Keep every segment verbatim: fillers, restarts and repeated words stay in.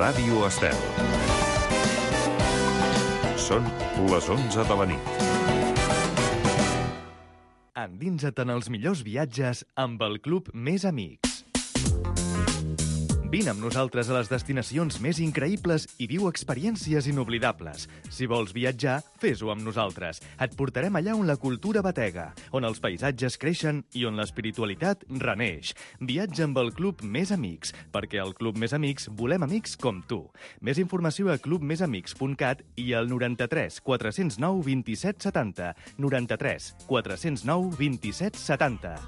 Ràdio Estel. Són les onze de la nit. Endinsa't en els millors viatges amb el Club Més Amics. Vine amb nosaltres a les destinacions més increïbles i viu experiències inoblidables. Si vols viatjar, fes-ho amb nosaltres. Et portarem allà on la cultura batega, on els paisatges creixen i on l'espiritualitat reneix. Viatja amb el Club Més Amics, perquè al Club Més Amics volem amics com tu. Més informació a club més amics punt cat i al noranta-tres quatre zero nou vint-i-set setanta. noranta-tres quatre zero nou vint-i-set setanta.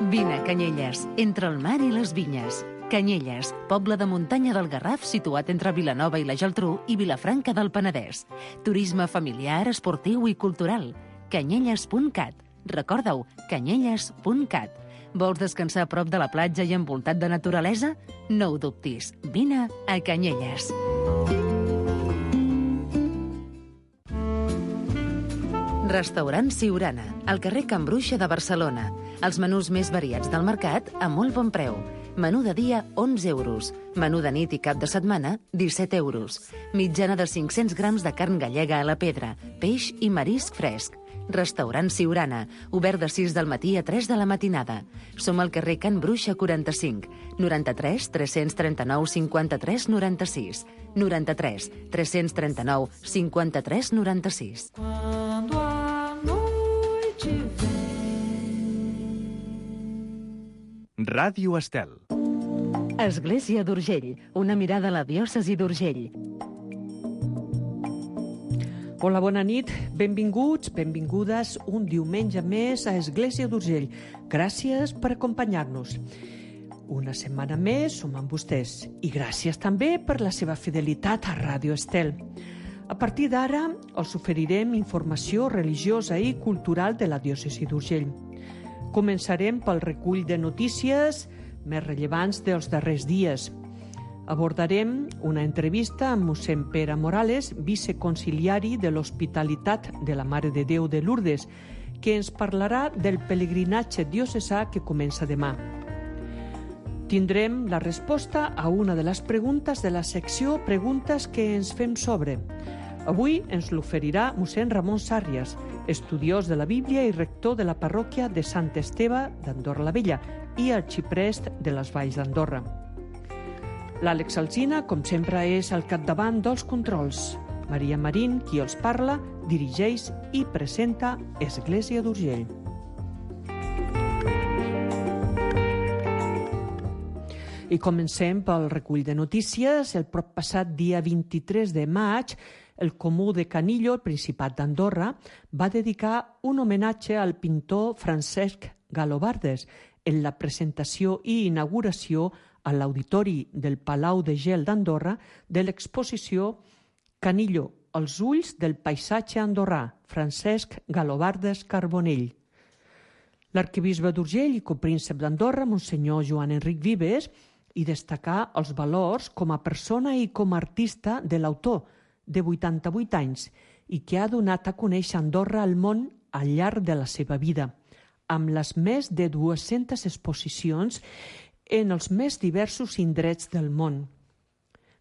Vine a Canyelles, entre el mar i les vinyes. Canyelles, poble de muntanya del Garraf situat entre Vilanova i la Geltrú i Vilafranca del Penedès. Turisme familiar, esportiu i cultural. canyelles punt cat. Recorda-ho, canyelles punt cat. Vols descansar a prop de la platja i envoltat de naturalesa? No ho dubtis, vine a Canyelles. Restaurant Siurana, al carrer Can Bruixa de Barcelona. Els menús més variats del mercat a molt bon preu. Menú de dia, onze euros. Menú de nit i cap de setmana, disset euros. Mitjana de cinc-cents grams de carn gallega a la pedra, peix i marisc fresc. Restaurant Siurana, obert de sis del matí a tres de la matinada. Som al carrer Can Bruixa quaranta-cinc, noranta-tres tres-cents trenta-nou cinquanta-tres noranta-sis. noranta-tres tres-cents trenta-nou cinquanta-tres noranta-sis. Ràdio Estel. Església d'Urgell, una mirada a la diòcesi d'Urgell. Hola, bona nit, benvinguts, benvingudes un diumenge més a Església d'Urgell. Gràcies per acompanyar-nos. Una setmana més som amb vostès i gràcies també per la seva fidelitat a Ràdio Estel. A partir d'ara us oferirem informació religiosa i cultural de la diòcesi d'Urgell. Començarem pel recull de notícies més rellevants dels darrers dies. Abordarem una entrevista amb mossèn Pere Morales, viceconciliari de l'Hospitalitat de la Mare de Déu de Lourdes, que ens parlarà del pelegrinatge diocesà que comença demà. Tindrem la resposta a una de les preguntes de la secció Preguntes que ens fem sobre. Avui ens l'oferirà mossèn Ramon Sàrrias, estudiós de la Bíblia i rector de la parròquia de Sant Esteve d'Andorra la Vella i arxiprest de les Valls d'Andorra. L'Àlex Alsina, com sempre, és al capdavant dels controls. Maria Marín, qui els parla, dirigeix i presenta Església d'Urgell. I comencem pel recull de notícies. El prop passat dia vint-i-tres de maig, el Comú de Canillo, el Principat d'Andorra, va dedicar un homenatge al pintor Francesc Galobardes en la presentació i inauguració a l'auditori del Palau de Gel d'Andorra de l'exposició Canillo, els ulls del paisatge andorrà, Francesc Galobardes Carbonell. L'arquebisbe d'Urgell i copríncep d'Andorra, Monsenyor Joan Enric Vives, i destacar els valors com a persona i com a artista de l'autor, de vuitanta-vuit anys, i que ha donat a conèixer Andorra al món al llarg de la seva vida, amb les més de dues-centes exposicions en els més diversos indrets del món.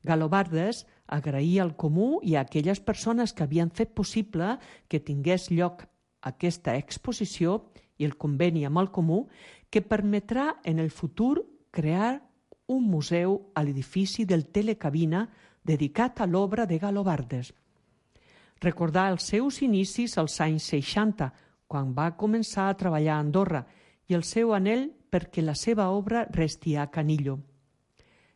Galobardes agraïa al Comú i a aquelles persones que havien fet possible que tingués lloc aquesta exposició i el conveni amb el Comú que permetrà en el futur crear un museu a l'edifici del Telecabina dedicat a l'obra de Galobardes. Recordar els seus inicis als anys seixanta, quan va començar a treballar a Andorra, i el seu anhel perquè la seva obra resti a Canillo.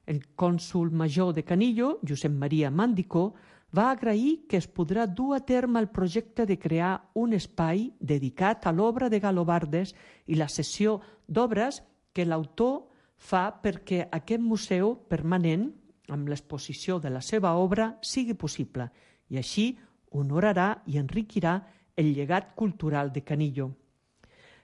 El cònsol major de Canillo, Josep Maria Mandicó, va agrair que es podrà dur a terme el projecte de crear un espai dedicat a l'obra de Galobardes i la sessió d'obres que l'autor fa perquè aquest museu permanent, amb l'exposició de la seva obra, sigui possible i així honorarà i enriquirà el llegat cultural de Canillo.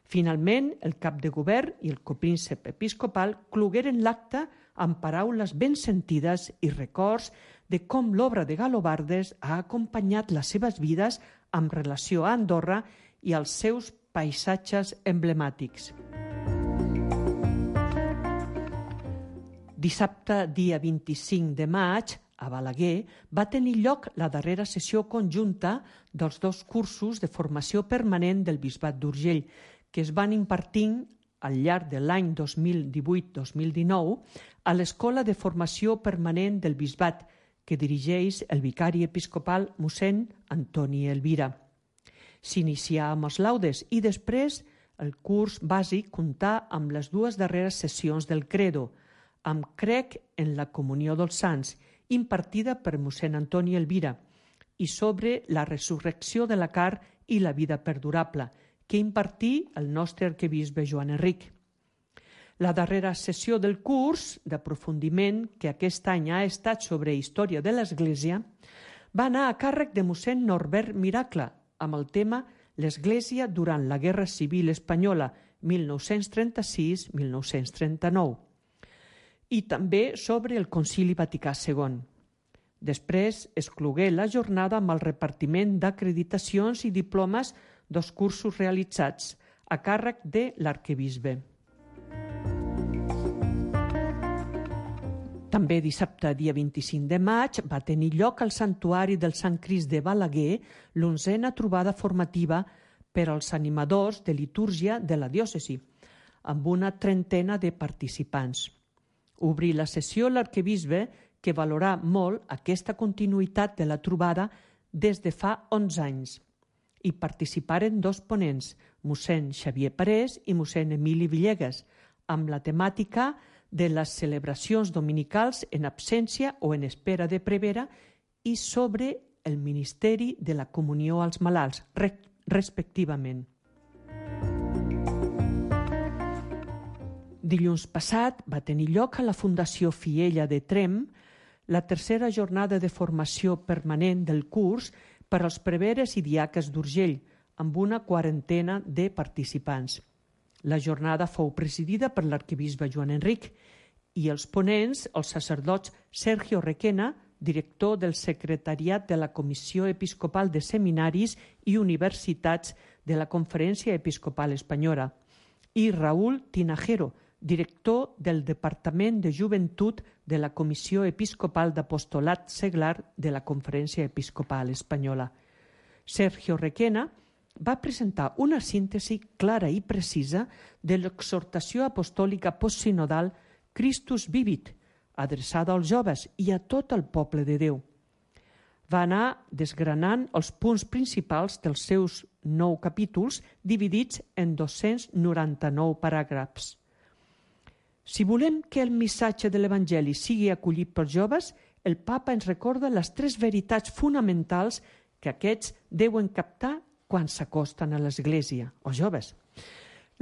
Finalment, el cap de govern i el copríncep episcopal clogueren l'acte amb paraules ben sentides i records de com l'obra de Galobardes ha acompanyat les seves vides amb relació a Andorra i als seus paisatges emblemàtics. Dissabte, dia vint-i-cinc de maig, a Balaguer, va tenir lloc la darrera sessió conjunta dels dos cursos de formació permanent del Bisbat d'Urgell, que es van impartint al llarg de l'any dos mil divuit dos mil dinou a l'Escola de Formació Permanent del Bisbat, que dirigeix el vicari episcopal mossèn Antoni Elvira. S'inicià amb els laudes i després el curs bàsic comptà amb les dues darreres sessions del Credo, amb Crec en la Comunió dels Sants, impartida per mossèn Antoni Elvira, i sobre la resurrecció de la carn i la vida perdurable, que impartí el nostre arquebisbe Joan Enric. La darrera sessió del curs d'aprofundiment, que aquest any ha estat sobre història de l'Església, va anar a càrrec de mossèn Norbert Miracle, amb el tema l'Església durant la Guerra Civil Espanyola mil nou-cents trenta-sis a mil nou-cents trenta-nou, i també sobre el Concili Vaticà segon. Després es clogué la jornada amb el repartiment d'acreditacions i diplomes dels cursos realitzats a càrrec de l'arquebisbe. També dissabte, dia vint-i-cinc de maig, va tenir lloc al Santuari del Sant Crist de Balaguer l'onzena trobada formativa per als animadors de litúrgia de la diòcesi, amb una trentena de participants. Obrí la sessió l'arquebisbe, que valorà molt aquesta continuïtat de la trobada des de fa onze anys. Hi participaren dos ponents, mossèn Xavier Parés i mossèn Emili Villegas, amb la temàtica de les celebracions dominicals en absència o en espera de prevera i sobre el ministeri de la comunió als malalts, respectivament. Dilluns passat va tenir lloc a la Fundació Fiella de Tremp la tercera jornada de formació permanent del curs per als preveres i diaques d'Urgell, amb una quarantena de participants. La jornada fou presidida per l'arquebisbe Joan Enric i els ponents, els sacerdots Sergio Requena, director del secretariat de la Comissió Episcopal de Seminaris i Universitats de la Conferència Episcopal Espanyola, i Raúl Tinajero, director del Departament de Joventut de la Comissió Episcopal d'Apostolat Seglar de la Conferència Episcopal Espanyola. Sergio Requena va presentar una síntesi clara i precisa de l'exhortació apostòlica postsinodal Christus Vivit, adreçada als joves i a tot el poble de Déu. Va anar desgranant els punts principals dels seus nou capítols, dividits en dos-cents noranta-nou paràgrafs. Si volem que el missatge de l'Evangeli sigui acollit pels joves, el papa ens recorda les tres veritats fonamentals que aquests deuen captar quan s'acosten a l'Església, els joves.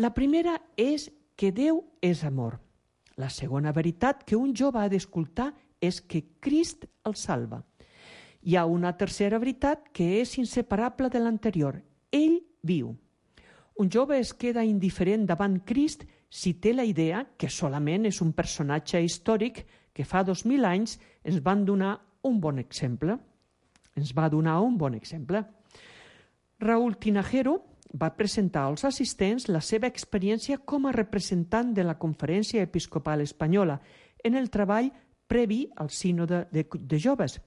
La primera és que Déu és amor. La segona veritat que un jove ha d'escoltar és que Crist el salva. Hi ha una tercera veritat que és inseparable de l'anterior. Ell viu. Un jove es queda indiferent davant Crist si té la idea que solament és un personatge històric que fa dos mil anys ens van donar un bon exemple. Ens va donar un bon exemple. Raúl Tinajero va presentar als assistents la seva experiència com a representant de la Conferència Episcopal Espanyola en el treball previ al sínode de, de joves,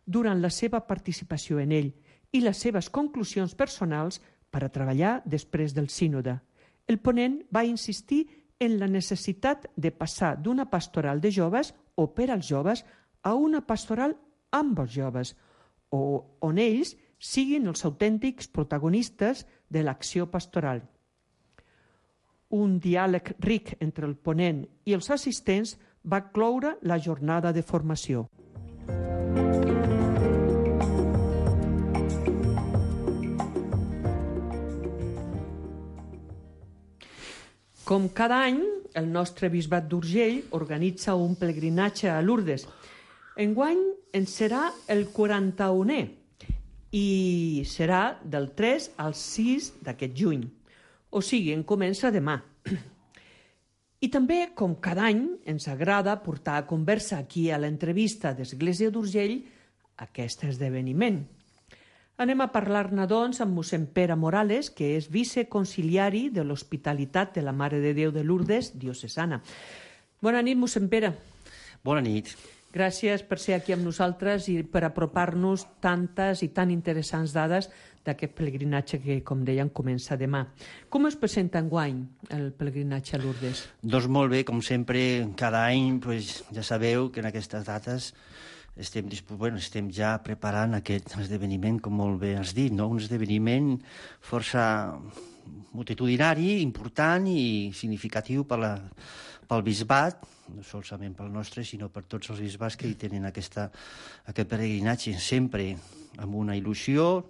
durant la seva participació en ell i les seves conclusions personals per a treballar després del sínode. El ponent va insistir en la necessitat de passar d'una pastoral de joves o per als joves a una pastoral amb els joves, o on ells siguin els autèntics protagonistes de l'acció pastoral. Un diàleg ric entre el ponent i els assistents va cloure la jornada de formació. Com cada any, el nostre Bisbat d'Urgell organitza un pelegrinatge a Lourdes. Enguany en serà el quaranta-unè i serà del tres al sis d'aquest juny. O sigui, en comença demà. I també, com cada any, ens agrada portar a conversa aquí a l'entrevista d'Església d'Urgell aquest esdeveniment. Anem a parlar-ne, doncs, amb mossèn Pere Morales, que és viceconciliari de l'Hospitalitat de la Mare de Déu de Lourdes, diocesana. Bona nit, mossèn Pere. Bona nit. Gràcies per ser aquí amb nosaltres i per apropar-nos tantes i tan interessants dades d'aquest pelegrinatge que, com deien, comença demà. Com es presenta enguany el pelegrinatge a Lourdes? Doncs molt bé, com sempre, cada any pues, ja sabeu que en aquestes dates estem, bueno, estem ja preparant aquest esdeveniment, com molt bé has dit, no? Un esdeveniment força multitudinari, important i significatiu per la, pel bisbat, no solament pel nostre, sinó per tots els bisbats que hi tenen aquesta, aquest peregrinatge, sempre amb una il·lusió,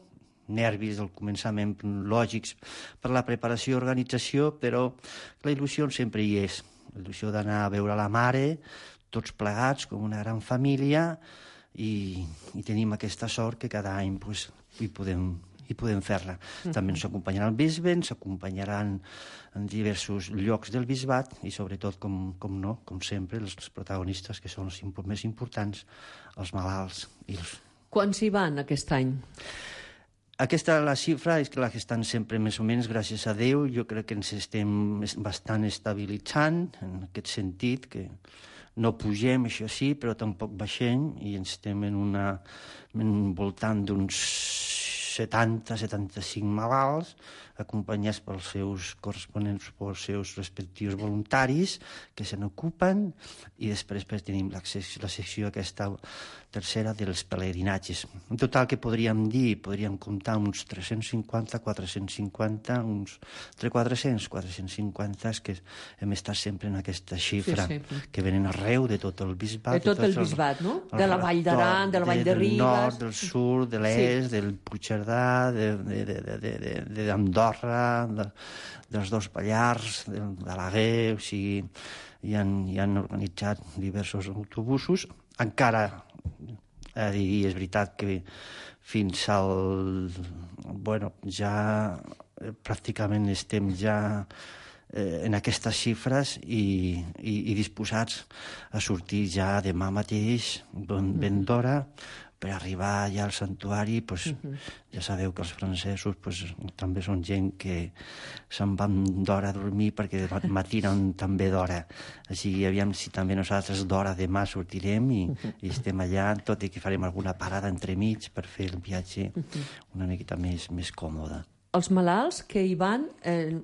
nervis del començament lògics per la preparació i organització, però la il·lusió sempre hi és. La il·lusió d'anar a veure la mare, tots plegats, com una gran família, i, i tenim aquesta sort que cada any pues, hi podem, hi podem fer-la. Uh-huh. També ens acompanyaran el bisbe, ens acompanyaran en diversos llocs del bisbat i sobretot, com, com no, com sempre, els protagonistes que són els més importants, els malalts. I els... Quants hi van aquest any? Aquesta, la xifra, és la que estan sempre més o menys, gràcies a Déu. Jo crec que ens estem bastant estabilitzant en aquest sentit, que no pugem, això sí, però tampoc baixem, i ens estem en una, en voltant d'uns setanta a setanta-cinc malalts, acompanyats pels seus corresponents, pels seus respectius voluntaris, que se n'ocupen, i després pues, tenim la, la secció aquesta tercera dels pelegrinatges. En total, que podríem dir? Podríem comptar uns tres-cents cinquanta, quatre-cents cinquanta, uns entre quatre-cents i quatre-cents cinquanta, que hem estat sempre en aquesta xifra, sí, sí. Que venen arreu de tot el bisbat. De tot de el bisbat, el, no? De la Vall d'Aran, de la Vall de, de Ribes... Del nord, del sud, de l'est, sí. Del Puigcerdà, d'Andorra, de, de, de, de, de, dels dos Pallars, de, de l'Aguer, o sigui, hi han, hi han organitzat diversos autobusos. Encara, eh, és veritat que fins al... Bueno, ja pràcticament estem ja eh, en aquestes xifres i, i, i disposats a sortir ja demà mateix, ben, ben d'hora, per arribar ja al santuari. Pues, uh-huh. Ja sabeu que els francesos pues, també són gent que se'n van d'hora a dormir perquè matinen també d'hora. Així, aviam si també nosaltres d'hora demà sortirem i, uh-huh. i estem allà, tot i que farem alguna parada entremig per fer el viatge uh-huh. una miqueta més, més còmode. Els malalts que hi van eh,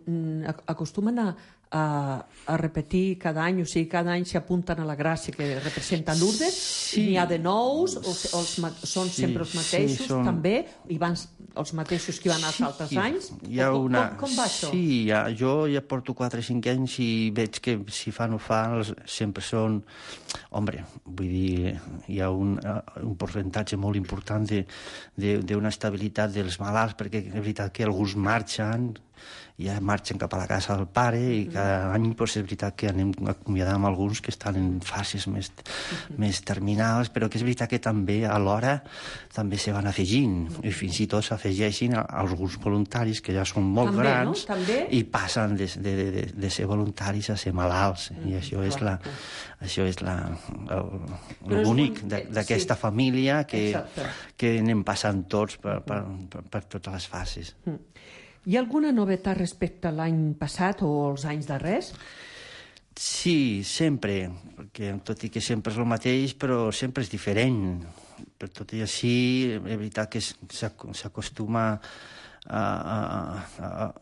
acostumen a A, a repetir cada any, o sigui, cada any s'apunten a la gràcia que representa Lourdes, sí. N'hi ha de nous, o, o els, són sí, sempre els mateixos, sí, són... també, i van els mateixos que van els sí, altres anys? Hi ha com, una... com, com va això? Sí, ja, jo ja porto quatre o cinc anys i veig que si fan o fan, sempre són... Hombre, vull dir, hi ha un, un percentatge molt important d'una estabilitat dels malalts, perquè és veritat que alguns marxen, ja marxen cap a la casa del pare i cada any pues, és veritat que anem acomiadant alguns que estan en fases més, uh-huh. més terminals, però que és veritat que també alhora també se van afegint uh-huh. i fins i tot s'afegeixin alguns voluntaris que ja són molt també, grans, no? També? I passen de, de, de, de ser voluntaris a ser malalts uh-huh. i això és la, això és la, el, el bonic d'aquesta sí. família que, que anem passant tots per, per, per, per totes les fases. Uh-huh. Hi ha alguna novetat respecte a l'any passat o als anys darrers? Sí, sempre, perquè tot i que sempre és el mateix, però sempre és diferent. Per tot i així, és veritat que s'acostuma a, a, a,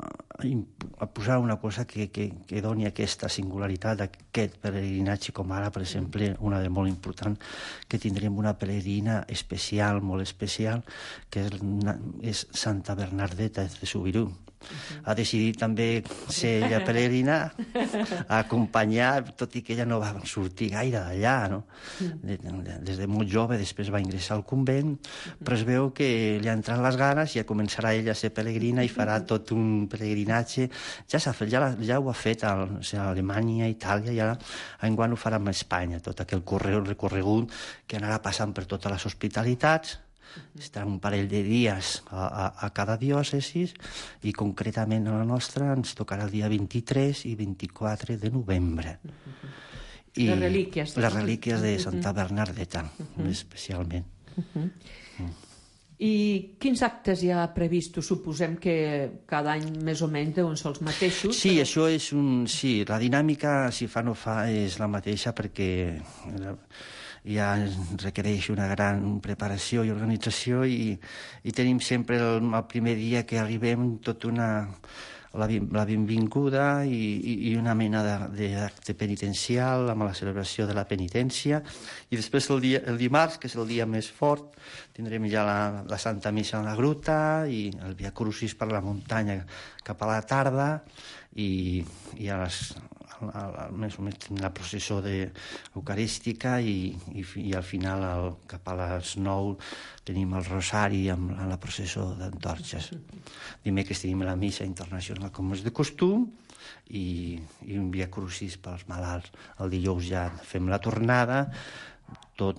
a posar una cosa que, que, que doni aquesta singularitat d'aquest peregrinatge, com ara, per exemple, una de molt important, que tindrem una peregrina especial, molt especial, que és, és Santa Bernardeta de Subirú. Uh-huh. Ha decidit també ser ella peregrina, a acompanyar, tot i que ella no va sortir gaire d'allà, no? De, de, des de molt jove, després va ingressar al convent, però es veu que li han entrat les ganes i ja començarà ella a ser peregrina i farà tot un peregrinatge. Ja, s'ha fet, ja, ja ho ha fet a, o sigui, a Alemanya, a Itàlia, i ara enguany ho farà a Espanya, tot aquell recorregut que anarà passant per totes les hospitalitats. Estarà un parell de dies a, a, a cada diòcesi i concretament a la nostra ens tocarà el dia vint-i-tres i vint-i-quatre de novembre. I les relíquies. Les relíquies de Santa Bernardeta, uh-huh. especialment. Uh-huh. Mm. I quins actes hi ha previstos? Suposem que cada any més o menys deuen ser els mateixos. Sí, però... això és un... Sí, la dinàmica, si fa no fa, és la mateixa perquè ja requereix una gran preparació i organització i, i tenim sempre el, el primer dia que arribem tot una... La, la benvinguda i, i, i una mena d'acte penitencial amb la celebració de la penitència i després el, dia, el dimarts, que és el dia més fort, tindrem ja la, la Santa Missa en la gruta i el Via Crucis per la muntanya cap a la tarda i, i a les, a, a, més o menys la processó de eucarística i, i, i al final el, cap a les nou tenim el rosari amb la, la processó d'antorxes. Dimecres tenim la missa internacional com és de costum i, i un Via Crucis pels malalts. El dijous ja fem la tornada, tot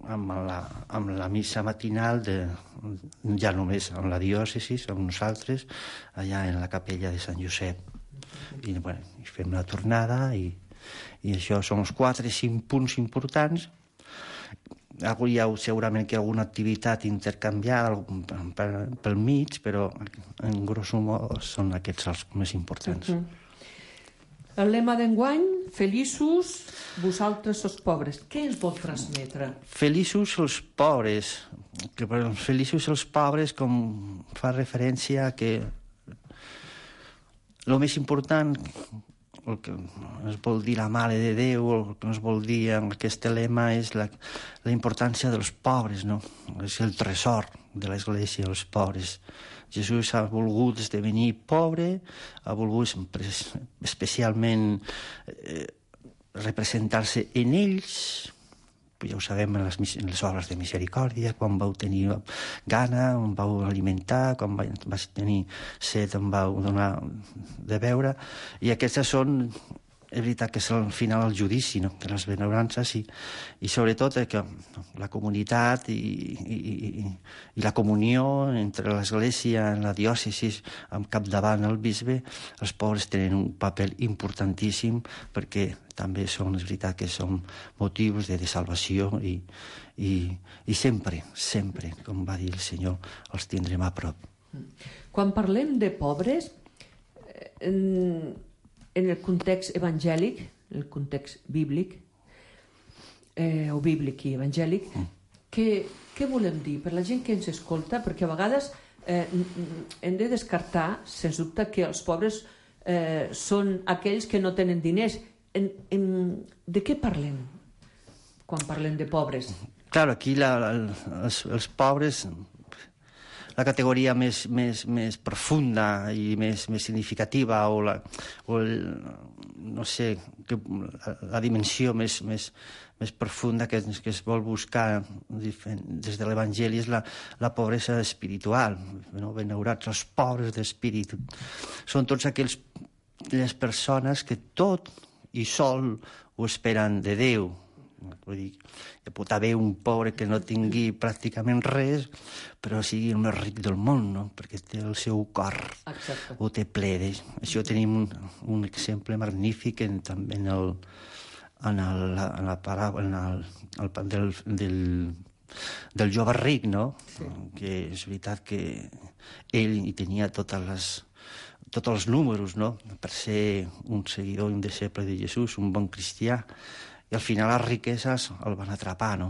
amb la, amb la missa matinal, de, ja només amb la diòcesi, amb nosaltres, allà en la capella de Sant Josep. I, bueno, i fem la tornada i, i això són els quatre cinc punts importants. Hi ha segurament que alguna activitat intercanviada pel mig, però en grosso modo són aquests els més importants. Uh -huh. El lema d'enguany, feliços, vosaltres els pobres. Què ens vol transmetre? Feliços els pobres. Que per feliços els pobres com fa referència a que el més important, el que es vol dir la Mare de Déu, el que es vol dir en aquest lema és la, la importància dels pobres, no? És el tresor de l'Església, els pobres. Jesús ha volgut esdevenir pobre, ha volgut especialment eh, representar-se en ells, ja ho sabem en les, en les obres de misericòrdia, quan vau tenir gana, on vau alimentar, quan vas tenir set, on vau donar de beure, i aquestes són, és veritat que és al final el judici, no?, de les benaurances i, i sobretot que la comunitat i, i, i, i la comunió entre l'Església, la diòcesi, amb capdavant el bisbe, els pobres tenen un paper importantíssim perquè també són, és veritat que són motius de, de salvació i, i, i sempre, sempre, com va dir el Senyor, els tindrem a prop. Quan parlem de pobres, en, en el context evangèlic, en el context bíblic, eh, o bíblic i evangèlic, mm. què, què volem dir per la gent que ens escolta? Perquè a vegades eh, hem de descartar, sens dubte, que els pobres eh, són aquells que no tenen diners. En, en, de què parlem quan parlem de pobres? Claro, aquí la, la, els, els pobres, la categoria més, més, més profunda i més, més significativa o, la, o el, no sé, que, la, la dimensió més, més, més profunda que, que es vol buscar des de l'Evangeli és la, la pobresa espiritual, no? Benaurats els pobres d'espírit. Són tots aquells les persones que tot i sol ho esperen de Déu. Vull dir, hi pot haver un pobre que no tingui pràcticament res, però sigui el més ric del món, no? Perquè té el seu cor. Exacte. Ho té ple. Això tenim un, un exemple magnífic en, també en el, en el, en la paràbola en el, el, del, del, del jove ric, no? Sí. Que és veritat que ell hi tenia totes les tots els números, no?, per ser un seguidor i un deixeble de Jesús, un bon cristià, i al final les riqueses el van atrapar, no?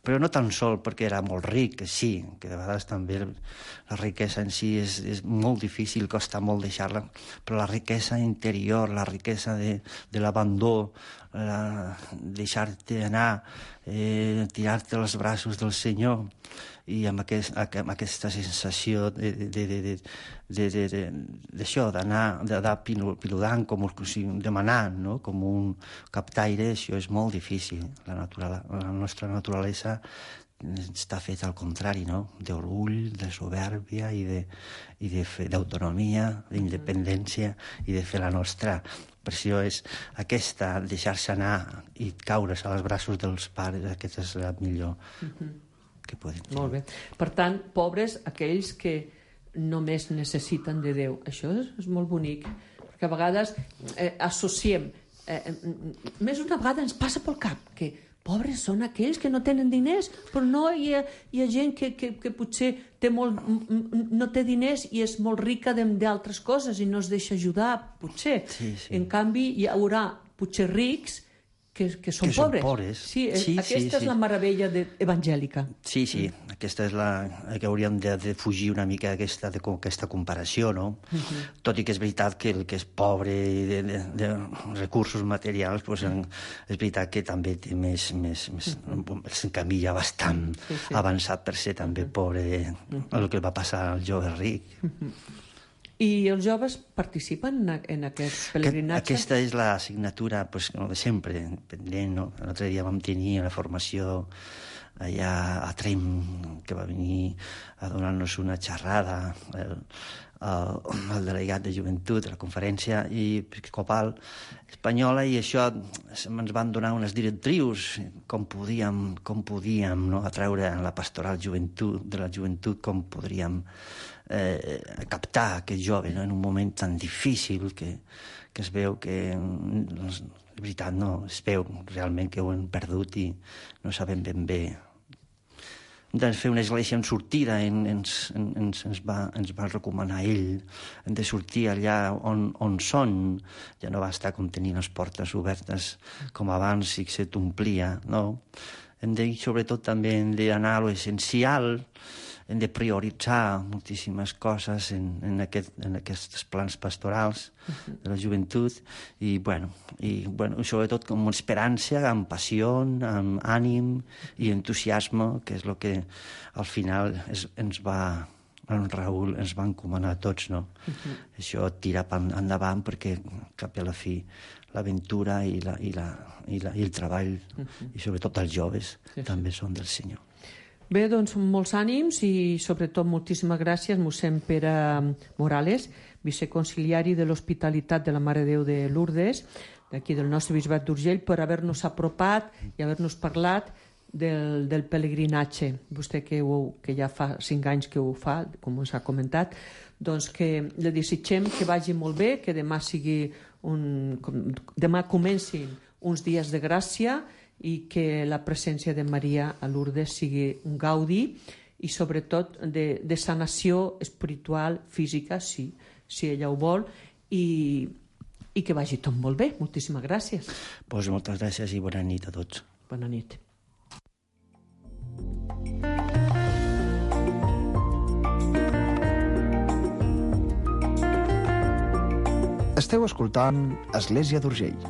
Però no tan sol perquè era molt ric, que sí, que de vegades també la riquesa en si és, és molt difícil, costa molt deixar-la, però la riquesa interior, la riquesa de, de l'abandó, la, deixar-te anar, eh, tirar-te als braços del Senyor, i amb, aquest, amb aquesta sensació de, de, de, de, de, de, de, d'això, d'anar, d'anar piludant, com o sigui, demanant, no?, com un captaire, això és molt difícil. La, natural, la nostra naturalesa està feta al contrari, no?, d'orgull, de soberbia i de, i de d'autonomia, d'independència i de fer la nostra. Per això és aquesta, deixar-se anar i caure's als braços dels pares, aquesta és la millor que poden tenir. Molt bé. Per tant, pobres, aquells que només necessiten de Déu. Això és, és molt bonic, perquè a vegades eh, associem, eh, més d'una vegada ens passa pel cap que pobres són aquells que no tenen diners, però no hi ha, hi ha gent que, que, que potser té molt, no té diners i és molt rica d'altres coses i no es deixa ajudar, potser. Sí, sí. En canvi, hi haurà potser rics que, que són que pobres. Són pobres. Sí, sí, aquesta sí, és sí. la meravella de, evangèlica. Sí, sí, mm. aquesta és la que hauríem de, de fugir una mica d'aquesta aquesta comparació, no? Uh-huh. Tot i que és veritat que el que és pobre de, de, de recursos materials, pues, en, és veritat que també té més, més, més uh-huh. el camí ja bastant sí, sí. avançat per ser també uh-huh. pobre de, uh-huh. el que va passar al jove ric. Uh-huh. I els joves participen en aquest pelegrinatge? Aquesta és l'assignatura pues, de sempre, pendent. No? L'altre dia vam tenir la formació allà a Trem, que va venir a donar-nos una xerrada, el, el, el delegat de joventut de la conferència i episcopal espanyola, i això ens van donar unes directrius, com podíem, com podíem no? atraure la pastoral joventut, de la joventut, com podríem Eh, captar aquest jove no? en un moment tan difícil que, que es veu que, és veritat, no, es veu realment que ho hem perdut i no sabem ben bé. Hem de fer una església en sortida, en, ens, ens, ens, va, ens va recomanar ell, hem de sortir allà on, on són, ja no basta com tenir les portes obertes com abans i que se t'omplia, no? Hem de, sobretot també hem d'anar a l'essencial, hem de prioritzar moltíssimes coses en, en, aquest, en aquests plans pastorals uh-huh. de la joventut i, bueno, i bueno, sobretot amb esperança, amb passió, amb ànim i entusiasme, que és el que al final es, ens va, en Raül ens va encomanar a tots, no? Uh-huh. Això tira endavant perquè cap a la fi l'aventura i, la, i, la, i, la, i el treball uh-huh. i sobretot els joves sí, també sí. són del Senyor. Bé, doncs, molts ànims i, sobretot, moltíssimes gràcies, mossèn Pere Morales, viceconciliari de l'Hospitalitat de la Mare de Déu de Lourdes, d'aquí del nostre bisbat d'Urgell, per haver-nos apropat i haver-nos parlat del, del pelegrinatge. Vostè, que, ho, que ja fa cinc anys que ho fa, com ens ha comentat, doncs que li desitgem que vagi molt bé, que demà sigui un... demà comencin uns dies de gràcia i que la presència de Maria a Lourdes sigui un gaudi i sobretot de, de sanació espiritual, física, sí, si ella ho vol, i, i que vagi tot molt bé. Moltíssimes gràcies. Pues moltes gràcies i bona nit a tots. Bona nit. Esteu escoltant Església d'Urgell.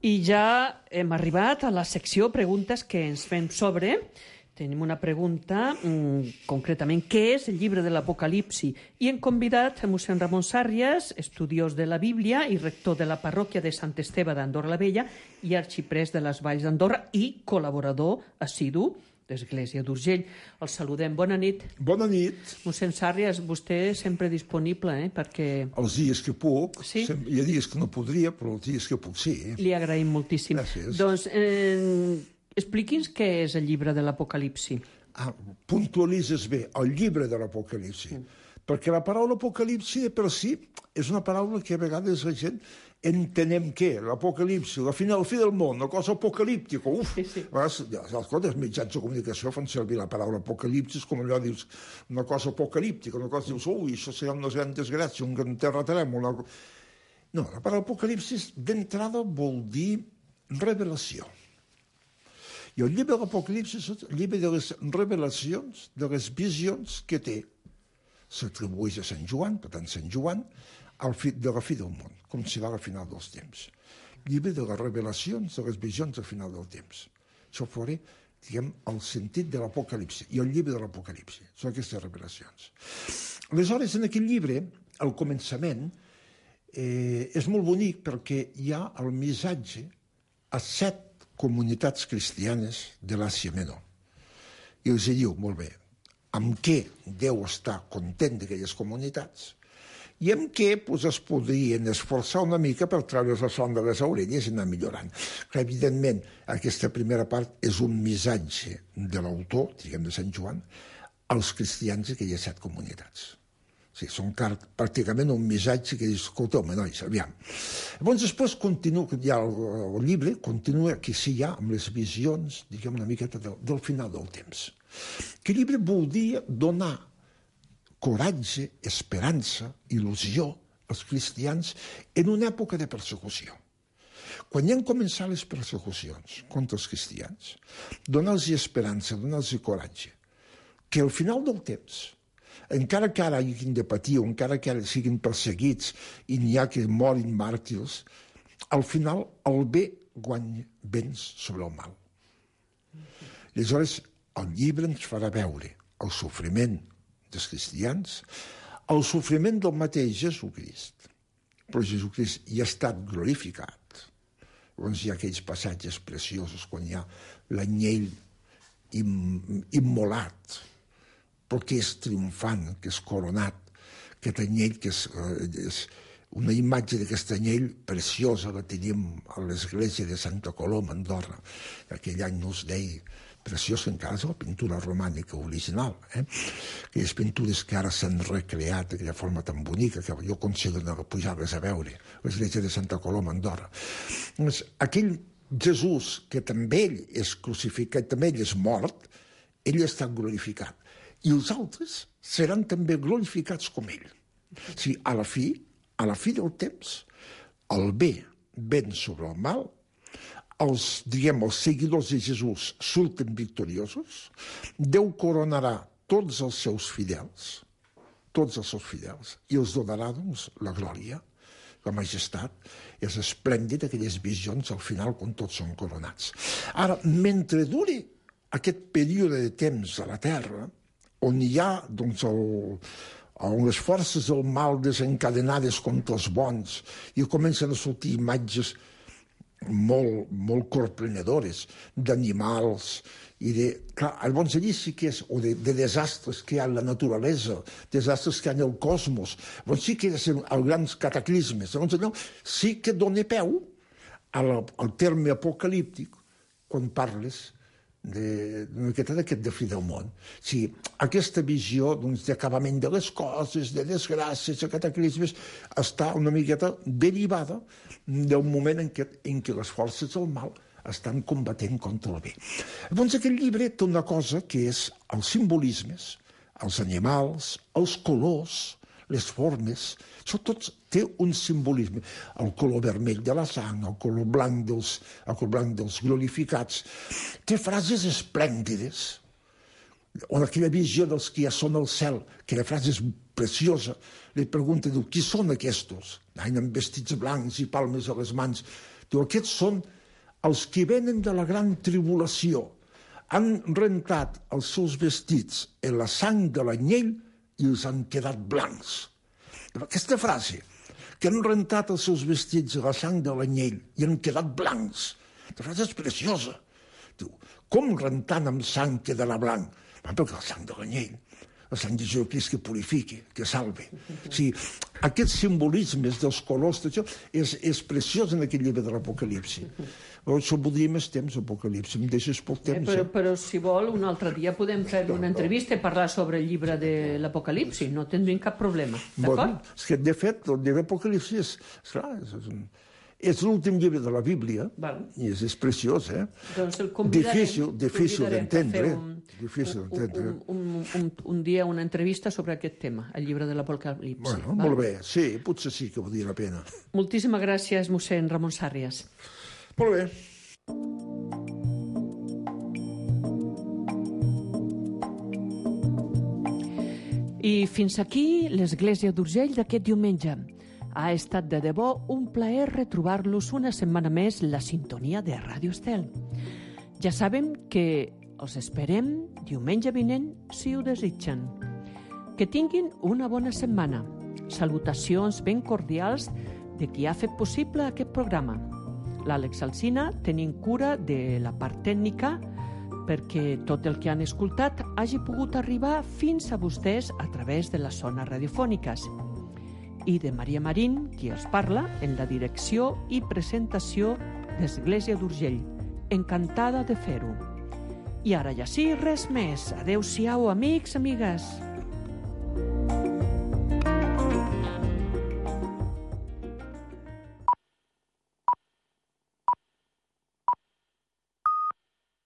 I ja hem arribat a la secció preguntes que ens fem sobre. Tenim una pregunta, mmm, concretament, què és el llibre de l'Apocalipsi? I hem convidat a mossèn Ramon Sàrries, estudiós de la Bíblia i rector de la parròquia de Sant Esteve d'Andorra la Vella i arxiprès de les Valls d'Andorra i col·laborador assidu d'Església d'Urgell. El saludem. Bona nit. Bona nit. Mossèn Sàrries, vostè sempre disponible, eh, perquè... Els dies que puc. Sí? Hi ha dies que no podria, però els dies que puc sí. Li agraïm moltíssim. Gràcies. Doncs eh, expliqui'ns què és el llibre de l'Apocalipsi. Ah, puntualitzes bé, el llibre de l'Apocalipsi. Mm. Perquè la paraula Apocalipsi de per si és una paraula que a vegades la gent entenem què, l'Apocalipsi, la final, el fi del món, una cosa apocalíptica, uf, sí, sí. A vegades, els mitjans de comunicació fan servir la paraula apocalipsis com allò dius, una cosa apocalíptica, una cosa dius, ui, això serà una gran desgràcia, un gran terratrèmol. Una... No, la paraula apocalipsis d'entrada vol dir revelació. I el llibre de l'Apocalipsis és el llibre de les revelacions, de les visions que té. S'atribueix a Sant Joan, per tant, Sant Joan, al fi, de la fi del món, com serà la final dels temps. Llibre de les revelacions, de les visions al final del temps. Això fora, diguem, el sentit de l'Apocalipsi i el llibre de l'Apocalipsi. Són aquestes revelacions. Aleshores, en aquest llibre, al començament, eh, és molt bonic perquè hi ha el missatge a set comunitats cristianes de l'Àsia Menor. I els diu, molt bé, amb què Déu està content d'aquelles comunitats i amb què pues, es podrien esforçar una mica per treure's la son de les orelles i anar millorant. Que, evidentment, aquesta primera part és un missatge de l'autor, diguem, de Sant Joan, als cristians d'aquelles set comunitats. Sí, són pràcticament un missatge que dius, escolteu, nois, aviam. Llavors, després continua, ja el, el llibre continua que sí ja amb les visions, diguem una miqueta del, del final del temps. Que el llibre volia donar coratge, esperança, il·lusió als cristians en una època de persecució. Quan ja han començat les persecucions contra els cristians, donar-los esperança, donar-los coratge, que al final del temps, encara que ara hagin de patir o encara que ara siguin perseguits i n'hi ha que morin màrtirs, al final el bé guanya béns sobre el mal. Aleshores, el llibre ens farà veure el sofriment dels cristians, el sofriment del mateix Jesucrist, però Jesucrist ja ha estat glorificat. Llavors hi ha aquells passatges preciosos quan hi ha l'anyell immolat, però que és triomfant, que és coronat, aquest anyell que és, és una imatge d'aquest anyell preciosa que tenim a l'església de Santa Coloma, a Andorra. Aquell any no es deia preciós, que encara és la pintura romànica original. Eh? Aquelles pintures que ara s'han recreat d'aquella forma tan bonica que jo aconsello de pujar-les a veure, l'església de Santa Coloma, a Andorra. Doncs, aquell Jesús, que també ell és crucificat, també ell és mort, ell ha estat glorificat. I els altres seran també glorificats com ell. O sigui, a la fi, a la fi del temps, el bé ven sobre el mal, els, diguem, els seguidors de Jesús surten victoriosos, Déu coronarà tots els seus fidels, tots els seus fidels, i els donarà, doncs, la glòria, la majestat. És esplèndid aquelles visions al final quan tots són coronats. Ara, mentre duri aquest període de temps a la Terra, on hi ha, doncs, el, on les forces del mal desencadenades contra els bons i comencen a sortir imatges molt, molt corprenedores d'animals i de... Clar, llavors allí sí que és, o de, de desastres que hi ha en la naturalesa, desastres que hi ha en el cosmos, llavors sí que és el grans cataclismes, llavors allò sí que dona peu al, al terme apocalíptic quan parles d'aquest de fi del món. O sigui, aquesta visió doncs, d'acabament de les coses, de desgràcies, de cataclismes, està una miqueta derivada del moment en què, en què les forces del mal estan combatent contra el bé. Llavors aquest llibre té una cosa que és els simbolismes, els animals, els colors, les formes, això tot té un simbolisme. El color vermell de la sang, el color blanc dels, el color blanc dels glorificats. Té frases esplèndides, on aquella visió dels que ja són al cel, aquella frase és preciosa, li pregunta, diu, qui són aquests? Amb vestits blancs i palmes a les mans. Diu, aquests són els que venen de la gran tribulació. Han rentat els seus vestits en la sang de l'anyell i els han quedat blancs. Aquesta frase, que han rentat els seus vestits a la sang de l'anyell i han quedat blancs, la frase és preciosa. Diu, com rentant amb sang quedarà blanc? Perquè la sang de l'anyell, la sang de Jesucrist que purifiqui, que salve. O sigui, aquests simbolismes dels colors, això és, és preciós en aquest llibre de l'Apocalipsi. Això voldria més temps, Apocalipsi. Em deixes poc temps. Eh, però, però, si vol, un altre dia podem fer una entrevista i parlar sobre el llibre de l'Apocalipsi. No tindríem cap problema. D'acord? Bueno, és que, de fet, el llibre de l'Apocalipsi és, és, és, és, és l'últim llibre de la Bíblia. Val. I és, és preciós, eh? Doncs el convidarem. Difícil, difícil d'entendre. Un, difícil d'entendre. Un, un, un, un dia una entrevista sobre aquest tema, el llibre de l'Apocalipsi. Bueno, val? Molt bé. Sí, potser sí que valdria la pena. Moltíssimes gràcies, mossèn Ramon Sàrrias. Molt bé. I fins aquí l'Església d'Urgell d'aquest diumenge. Ha estat de debò un plaer retrobar-los una setmana més la sintonia de Ràdio Estel. Ja sabem que els esperem diumenge vinent si ho desitgen. Que tinguin una bona setmana. Salutacions ben cordials de qui ha fet possible aquest programa. L'Àlex Alsina tenint cura de la part tècnica perquè tot el que han escoltat hagi pogut arribar fins a vostès a través de les zones radiofòniques. I de Maria Marín, qui els parla en la direcció i presentació d'Església d'Urgell. Encantada de fer-ho. I ara ja sí, res més. Adéu-siau, amics, amigues.